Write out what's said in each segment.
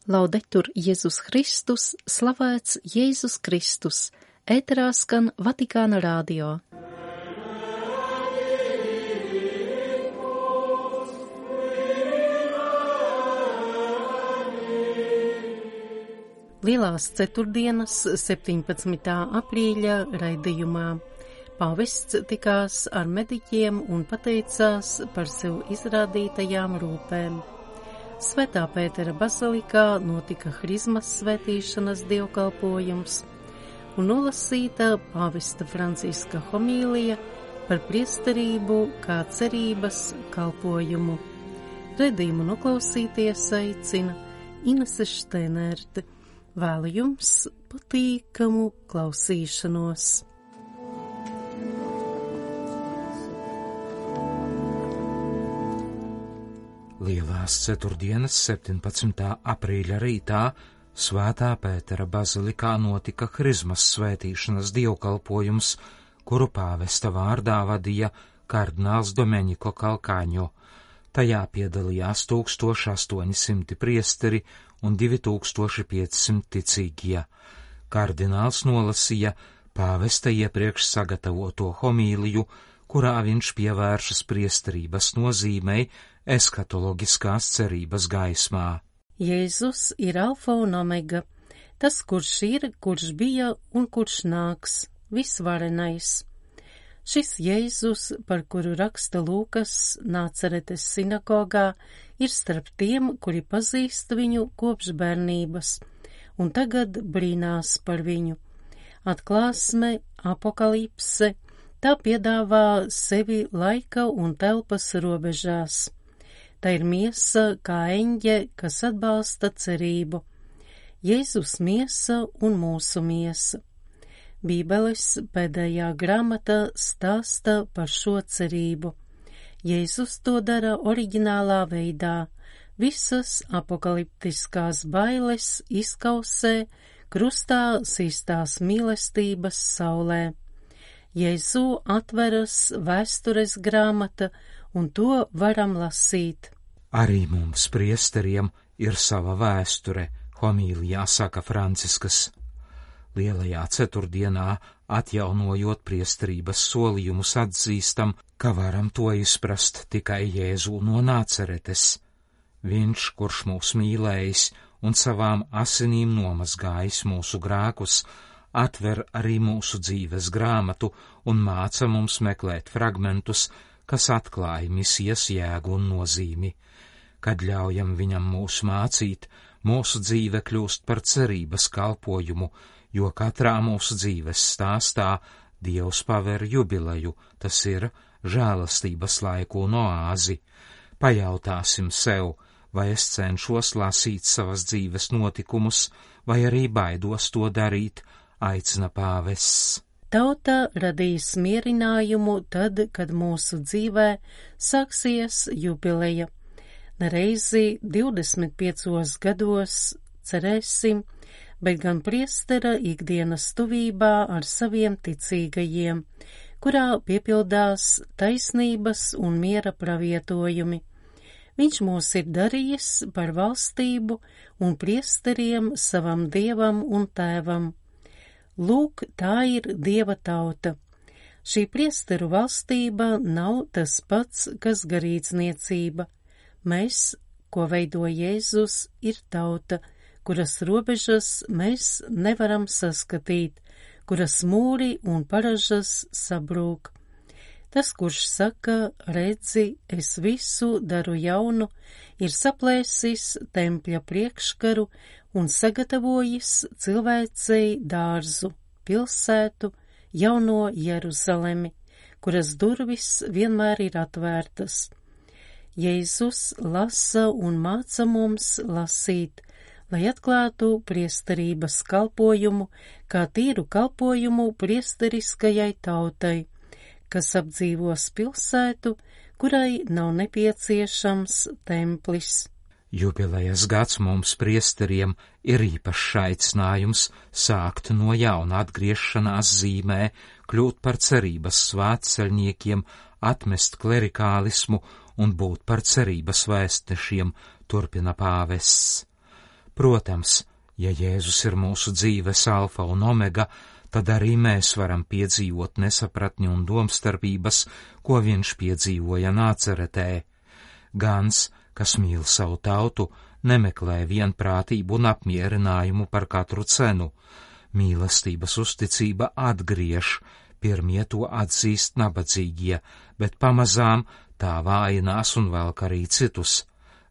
Laudetur Jēzus Kristus, slavēts Jēzus Kristus, ēterā skan Vatikāna radio. Lielās ceturtdienas 17. aprīļa raidījumā pāvests tikās ar mediķiem un pateicās par sev izrādītajām rūpēm. Svētā Pētera bazilikā notika Hrizmas svētīšanas dievkalpojums un nolasīta pāvesta Franciska homīlija par priesterību kā cerības kalpojumu. Raidījumu noklausīties aicina Inese Šteinerte. Vēlu jums patīkamu klausīšanos. Lielās ceturtdienas 17. aprīļa rītā Svētā Pētera bazilikā notika Hrizmas svētīšanas dievkalpojums, kuru pāvesta vārdā vadīja kardināls Domenico Calcagno. Tajā piedalījās 1800 priesteri un 2500 ticīgie. Kardināls nolasīja pāvesta iepriekš sagatavoto homīliju, kurā viņš pievēršas priesterības nozīmei eskatoloģiskās cerības gaismā. Jēzus ir alfa un omega, tas, kurš ir, kurš bija un kurš nāks, visvarenais. Šis Jēzus, par kuru raksta Lūkas Nācaretes sinagogā, ir starp tiem, kuri pazīst viņu kopš bērnības, un tagad brīnās par viņu. Atklāsme, apokalipse, tā piedāvā sevi laika un telpas robežās. Tā ir miesa kā eņģe, kas atbalsta cerību. Jēzus miesa un mūsu miesa. Bībeles pēdējā grāmata stāsta par šo cerību. Jēzus to dara oriģinālā veidā. Visas apokaliptiskās bailes izkausē krustā sistās mīlestības saulē. Jēzu atveras vēstures grāmata, un to varam lasīt. Arī mums, priesteriem, ir sava vēsture, homīlijā saka Franciskas. Lielajā ceturtdienā, atjaunojot priesterības solījumus, atzīstam, ka varam to izprast tikai Jēzu no Nācaretes. Viņš, kurš mūs mīlējis un savām asinīm nomazgājis mūsu grēkus, atver arī mūsu dzīves grāmatu un māca mums meklēt fragmentus, kas atklāja misijas jēgu un nozīmi. Kad ļaujam viņam mūs mācīt, mūsu dzīve kļūst par cerības kalpojumu, jo katrā mūsu dzīves stāstā Dievs paver jubileju, tas ir žēlastības laiku un oāzi. Pajautāsim sev, vai es cenšos lasīt savas dzīves notikumus, vai arī baidos to darīt, aicina pāvests. Tauta radīs mierinājumu tad, kad mūsu dzīvē sāksies jubileja. Nereizi 25 gados cerēsim, bet gan priestera ikdienas tuvībā ar saviem ticīgajiem, kurā piepildās taisnības un miera pravietojumi. Viņš mūs ir darījis par valstību un priesteriem savam Dievam un Tēvam. Lūk, tā ir Dieva tauta. Šī priesteru valstība nav tas pats, kas garīdzniecība. Mēs, ko veido Jēzus, ir tauta, kuras robežas mēs nevaram saskatīt, kuras mūri un paražas sabrūk. Tas, kurš saka, redzi, es visu daru jaunu, ir saplēsis tempļa priekškaru un sagatavojis cilvēcei dārzu, pilsētu, jauno Jeruzalemi, kuras durvis vienmēr ir atvērtas. Jēzus lasa un māca mums lasīt, lai atklātu priesterības kalpojumu kā tīru kalpojumu priesteriskajai tautai, kas apdzīvos pilsētu, kurai nav nepieciešams templis. Jubilejas gads mums priesteriem ir īpašs aicinājums sākt no jauna atgriešanās zīmē, kļūt par cerības svētceļniekiem, atmest klerikālismu un būt par cerības vēstnešiem, turpina pāvests. Protams, ja Jēzus ir mūsu dzīves alfa un omega, tad arī mēs varam piedzīvot nesapratni un domstarpības, ko viņš piedzīvoja Nāceretē. Gans, kas mīl savu tautu, nemeklē vienprātību un apmierinājumu par katru cenu. Mīlestības uzticība atgriež, pirmie to atzīst nabadzīgie, bet pamazām tā vājinās un velk arī citus.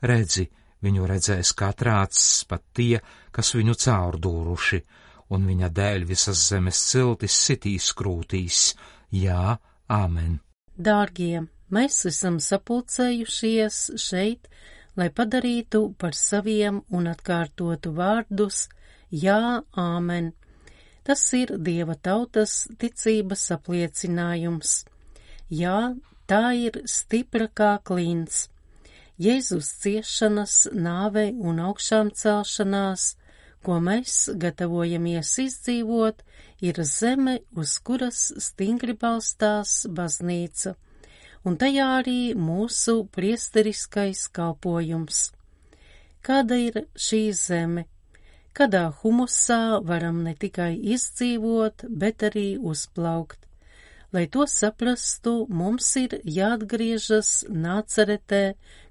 Redzi, viņu redzēs katrā acis, pat tie, kas viņu caurdūruši, un viņa dēļ visas zemes ciltis sitīs krūtīs. Jā, āmen. Dārgie, mēs esam sapulcējušies šeit, lai padarītu par saviem un atkārtotu vārdus jā, āmen. Tas ir Dieva tautas ticības apliecinājums. Jā, tā ir stipra kā klints. Jēzus ciešanas, nāve un augšām celšanās, ko mēs gatavojamies izdzīvot, ir zeme, uz kuras stingri balstās baznīca, un tajā arī mūsu priesteriskais kalpojums. Kāda ir šī zeme? Kādā humusā varam ne tikai izdzīvot, bet arī uzplaukt. Lai to saprastu, mums ir jāatgriežas Nāceretē,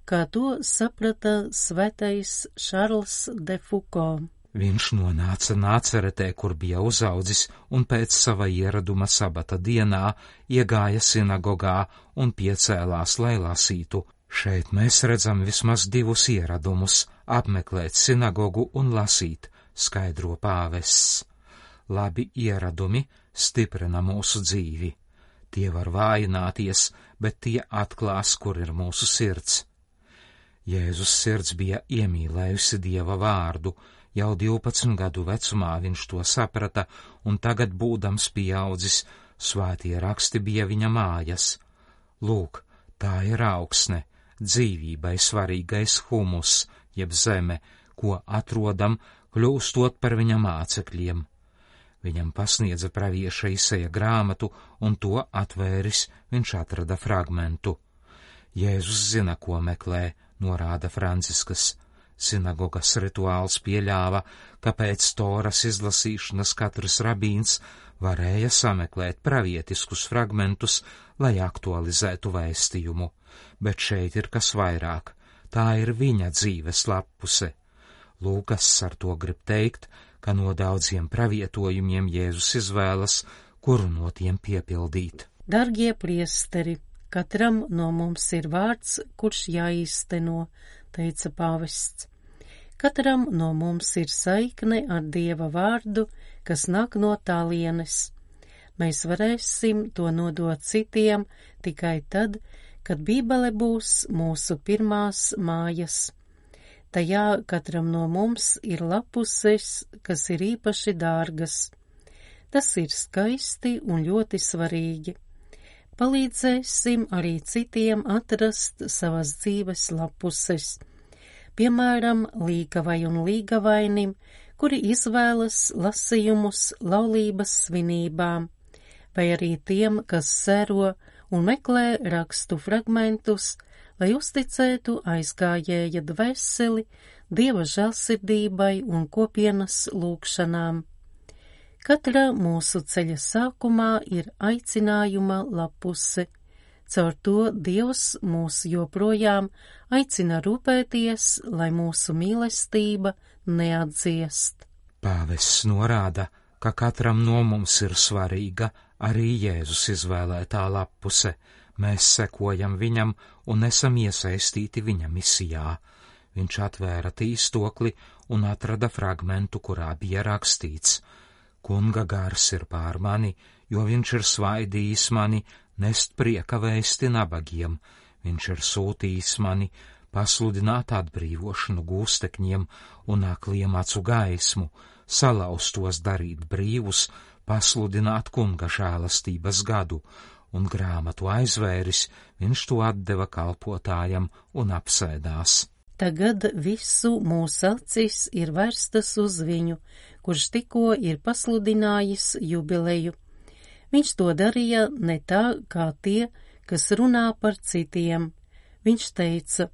kā to saprata svētais Šarls de Foucault. Viņš nonāca Nāceretē, kur bija uzaudzis, un pēc sava ieraduma sabata dienā iegāja sinagogā un piecēlās, lai lasītu. Šeit mēs redzam vismaz divus ieradumus – apmeklēt sinagogu un lasīt, skaidro pāvests. Labi ieradumi stiprina mūsu dzīvi. Tie var vājināties, bet tie atklās, kur ir mūsu sirds. Jēzus sirds bija iemīlējusi Dieva vārdu. Jau 12 gadu vecumā viņš to saprata, un tagad, būdams pieaudzis, svētie raksti bija viņa mājas. Lūk, tā ir augsne, dzīvībai svarīgais humus, jeb zeme, ko atrodam, kļūstot par viņa mācekļiem. Viņam pasniedza pravieša Isaija grāmatu, un to atvēris, viņš atrada fragmentu. Jēzus zina, ko meklē, norāda Franciskas. Sinagogas rituāls pieļāva, ka pēc Toras izlasīšanas katrs rabīns varēja sameklēt pravietiskus fragmentus, lai aktualizētu vēstījumu, bet šeit ir kas vairāk, tā ir viņa dzīves lappuse. Lūkas ar to grib teikt, ka no daudziem pravietojumiem Jēzus izvēlas, kuru no tiem piepildīt. Dargie priesteri, katram no mums ir vārds, kurš jāīsteno, teica pāvests. Katram no mums ir saikne ar Dieva vārdu, kas nāk no tālienes. Mēs varēsim to nodot citiem tikai tad, kad Bībele būs mūsu pirmās mājas. Tajā katram no mums ir lapuses, kas ir īpaši dārgas. Tas ir skaisti un ļoti svarīgi. Palīdzēsim arī citiem atrast savas dzīves lapuses. Piemēram, līgavai un līgavainim, kuri izvēlas lasījumus laulības svinībām, vai arī tiem, kas sēro un meklē rakstu fragmentus, lai uzticētu aizgājēja dvēseli Dieva žēlsirdībai un kopienas lūgšanām. Katra mūsu ceļa sākumā ir aicinājuma lapuse. Caur to Dievs mūs joprojām aicina rūpēties, lai mūsu mīlestība neatdziest. Pāvests norāda, ka katram no mums ir svarīga arī Jēzus izvēlētā lapuse. Mēs sekojam viņam un esam iesaistīti viņa misijā. Viņš atvēra tīstokli un atrada fragmentu, kurā bija rakstīts: Kunga gars ir pār mani, jo viņš ir svaidījis mani nest prieka vēsti nabagiem. Viņš ir sūtījis mani pasludināt atbrīvošanu gūstekņiem un akliem acu gaismu, salauztos darīt brīvus, pasludināt kunga žēlastības gadu, un grāmatu aizvēris, viņš to atdeva kalpotājam un apsēdās. Tagad visu mūsu acis ir vērstas uz viņu, kurš tikko ir pasludinājis jubileju. Viņš to darīja ne tā kā tie, kas runā par citiem. Viņš teica: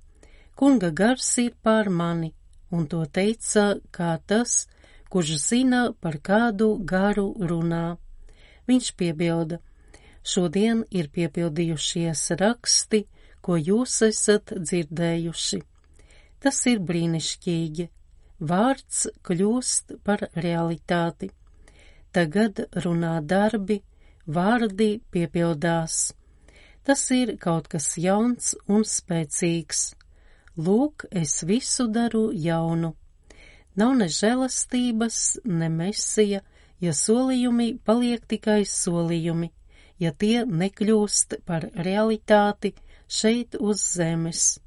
Kunga gars ir pār mani, un to teica kā tas, kurš zina, par kādu garu runā. Viņš piebilda: šodien ir piepildījušies raksti, ko jūs esat dzirdējuši. Tas ir brīnišķīgi. Vārds kļūst par realitāti. Tagad runā darbi, vārdi piepildās. Tas ir kaut kas jauns un spēcīgs. Lūk, es visu daru jaunu. Nav ne žēlastības, ne mesija, ja solījumi paliek tikai solījumi, ja tie nekļūst par realitāti šeit uz zemes.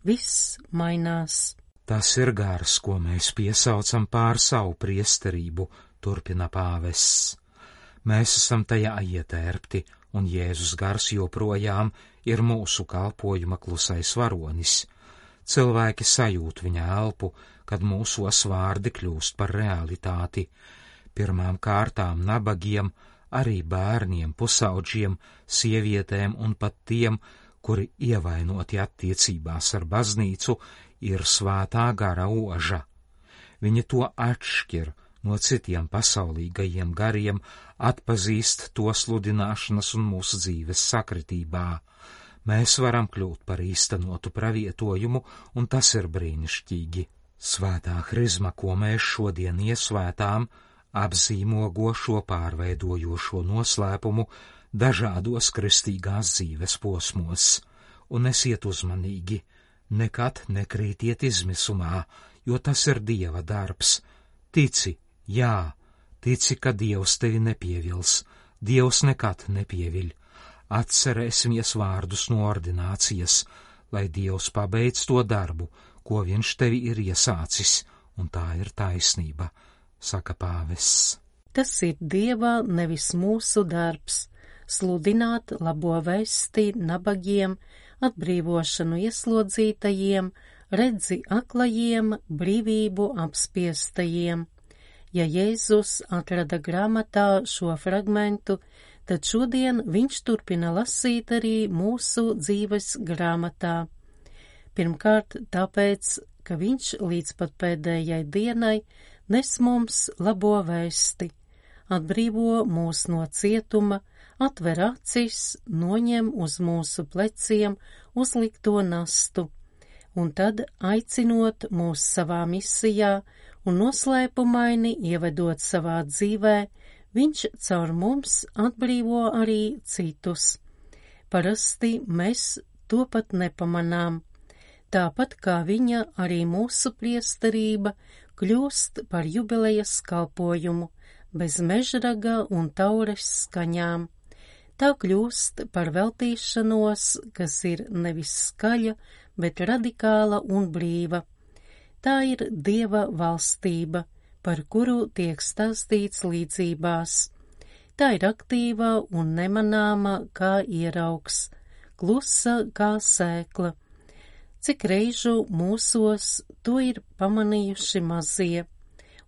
Viss mainās. Tas ir gars, ko mēs piesaucam pār savu priesterību, turpina pāvests. Mēs esam tajā ietērpti, un Jēzus gars joprojām ir mūsu kalpojuma klusais varonis. Cilvēki sajūt viņa elpu, kad mūsos vārdi kļūst par realitāti. Pirmām kārtām nabagiem, arī bērniem, pusaudžiem, sievietēm un pat tiem, kuri ievainoti attiecībās ar baznīcu, ir svētā gara oža. Viņi to atšķir no citiem pasaulīgajiem gariem, atpazīst to sludināšanas un mūsu dzīves sakritībā. Mēs varam kļūt par īstenotu pravietojumu, un tas ir brīnišķīgi. Svētā hrizma, ko mēs šodien iesvētām, apzīmogo šo pārveidojošo noslēpumu dažādos kristīgās dzīves posmos, un esiet uzmanīgi, nekad nekrītiet izmisumā, jo tas ir Dieva darbs. Tici, jā, tici, ka Dievs tevi nepievils, Dievs nekad nepieviļ. Atcerēsimies vārdus no ordinācijas, lai Dievs pabeidz to darbu, ko viņš tevi ir iesācis, un tā ir taisnība, saka pāvests. Tas ir Dieva, nevis mūsu darbs, sludināt labo vēsti nabagiem, atbrīvošanu ieslodzītajiem, redzi aklajiem, brīvību apspiestajiem. Ja Jēzus atrada grāmatā šo fragmentu, tad šodien viņš turpina lasīt arī mūsu dzīves grāmatā. Pirmkārt, tāpēc, ka viņš līdz pat pēdējai dienai nes mums labo vēsti, atbrīvo mūs no cietuma, atver acis, noņem uz mūsu pleciem uzlikto nastu, un tad, aicinot mūs savā misijā un noslēpumaini ievedot savā dzīvē, viņš caur mums atbrīvo arī citus. Parasti mēs to pat nepamanām. Tāpat kā viņa, arī mūsu priesterība kļūst par jubilejas kalpojumu, bez mežraga un taures skaņām. Tā kļūst par veltīšanos, kas ir nevis skaļa, bet radikāla un brīva. Tā ir Dieva valstība, par kuru tiek stāstīts līdzībās. Tā ir aktīva un nemanāma kā ieraugs, klusa kā sēkla. Cik reižu mūsos to ir pamanījuši mazie,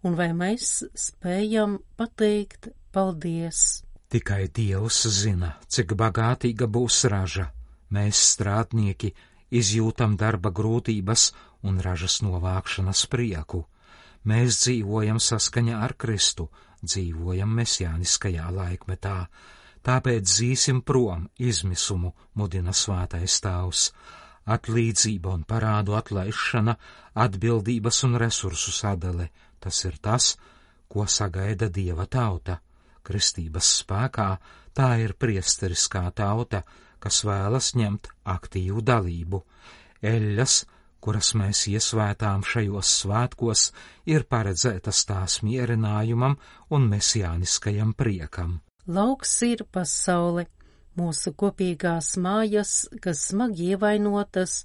un vai mēs spējam pateikt paldies? Tikai Dievs zina, cik bagātīga būs raža. Mēs, strādnieki, izjūtam darba grūtības un ražas novākšanas prieku. Mēs dzīvojam saskaņā ar Kristu, dzīvojam mesjāniskajā laikmetā, tāpēc dzīsim prom izmisumu, mudina svētais tēvs. Atlīdzība un parādu atlaišana, atbildības un resursu sadale, tas ir tas, ko sagaida Dieva tauta. Kristības spēkā tā ir priesteriskā tauta, kas vēlas ņemt aktīvu dalību. Eļļas, kuras mēs iesvētām šajos svētkos, ir paredzētas tās mierinājumam un mesjāniskajam priekam. Lauks ir pasaule, mūsu kopīgās mājas, kas smagi ievainotas,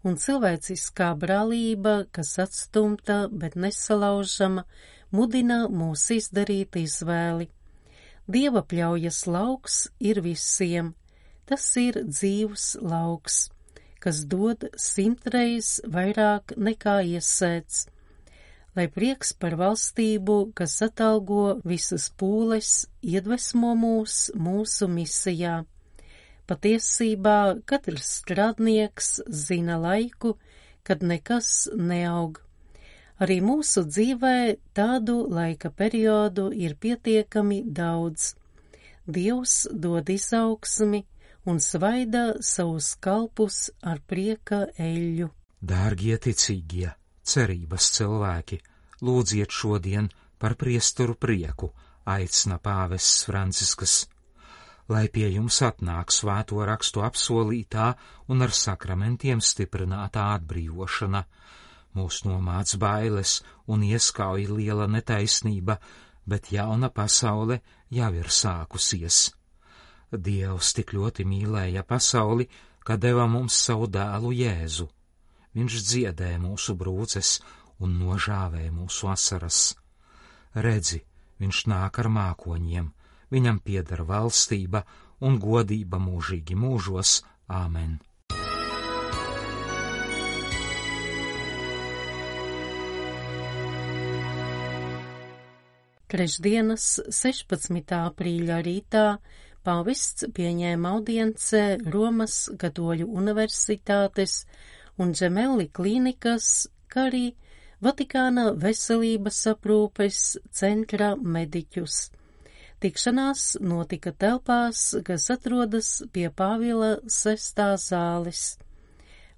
un cilvēciskā brālība, kas atstumta, bet nesalaužama, mudina mūs izdarīt izvēli. Dieva pļaujas lauks ir visiem, tas ir dzīvs lauks, kas dod 100reiz vairāk nekā iesēts. Lai prieks par valstību, kas atalgo visas pūles, iedvesmo mūs mūsu misijā. Patiesībā katrs strādnieks zina laiku, kad nekas neaug. Arī mūsu dzīvē tādu laika periodu ir pietiekami daudz. Dievs dod izaugsmi un svaida savus kalpus ar prieka eļļu. Dārgie ticīgie, cerības cilvēki, lūdziet šodien par priesteru prieku, aicina pāvests Francisks, lai pie jums atnāk svēto rakstu apsolītā un ar sakramentiem stiprinātā atbrīvošana. Mūs nomāc bailes un ieskauj liela netaisnība, bet jauna pasaule jau ir sākusies. Dievs tik ļoti mīlēja pasauli, ka deva mums savu dēlu Jēzu. Viņš dziedē mūsu brūces un nožāvē mūsu asaras. Redzi, viņš nāk ar mākoņiem, viņam pieder valstība un godība mūžīgi mūžos. Āmen. Trešdienas 16. aprīļa rītā pāvests pieņēma audiencē Romas Katoļu universitātes un Gemelli klīnikas, kā arī Vatikāna veselības aprūpes centra mediķus. Tikšanās notika telpās, kas atrodas pie Pāvila 6. zāles.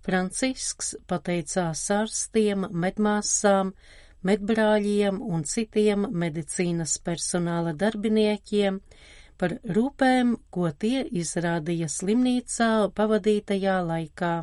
Francisks pateicās ārstiem, medmāsām, medbrāļiem un citiem medicīnas personāla darbiniekiem par rūpēm, ko tie izrādīja slimnīcā pavadītajā laikā,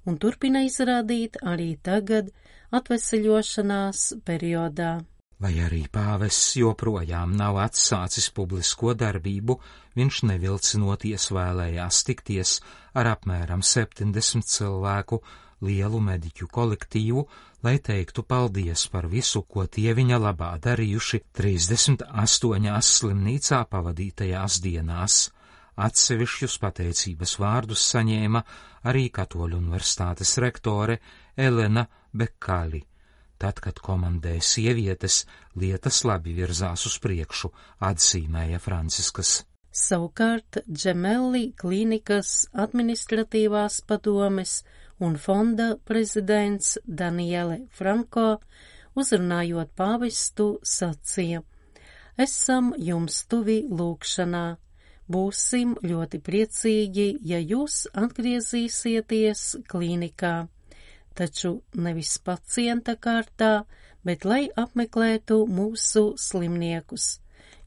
un turpina izrādīt arī tagad atveseļošanās periodā. Lai arī pāvests joprojām nav atsācis publisko darbību, viņš nevilcinoties vēlējās tikties ar apmēram 70 cilvēku lielu mediķu kolektīvu, lai teiktu paldies par visu, ko tie viņa labā darījuši 38 slimnīcā pavadītajās dienās. Atsevišķus pateicības vārdus saņēma arī Katoļu universitātes rektore Elena Bekali. Tad, kad komandē sievietes, lietas labi virzās uz priekšu, atzīmēja Franciskas. Savukārt Gemelli klīnikas administratīvās padomes un fonda prezidents Daniele Franko, uzrunājot pāvestu, sacīja: Esam jums tuvi lūgšanā. Būsim ļoti priecīgi, ja jūs atgriezīsieties klīnikā, taču nevis pacienta kārtā, bet lai apmeklētu mūsu slimniekus,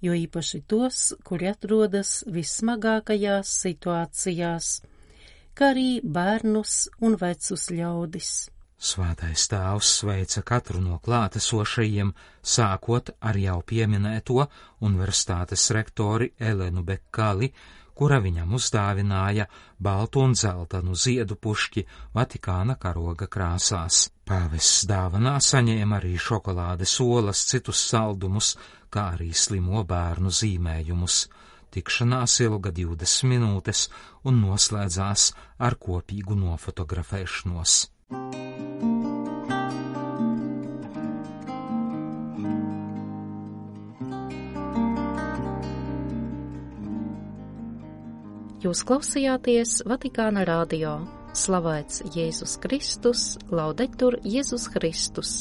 jo īpaši tos, kuri atrodas vissmagākajās situācijās, kā arī bērnus un vecus ļaudis. Svētais Tēvs sveica katru no klātesošajiem, sākot ar jau pieminēto universitātes rektori Elenu Bekali, kura viņam uzdāvināja baltu un dzeltenu ziedu pušķi Vatikāna karoga krāsās. Pāvests dāvanā saņēma arī šokolādes olas, citus saldumus, kā arī slimo bērnu zīmējumus. Tikšanās ilga 20 minūtes un noslēdzās ar kopīgu nofotografēšanos. Jūs klausījāties Vatikāna radio. Slavēts Jēzus Kristus, laudetur Jēzus Kristus.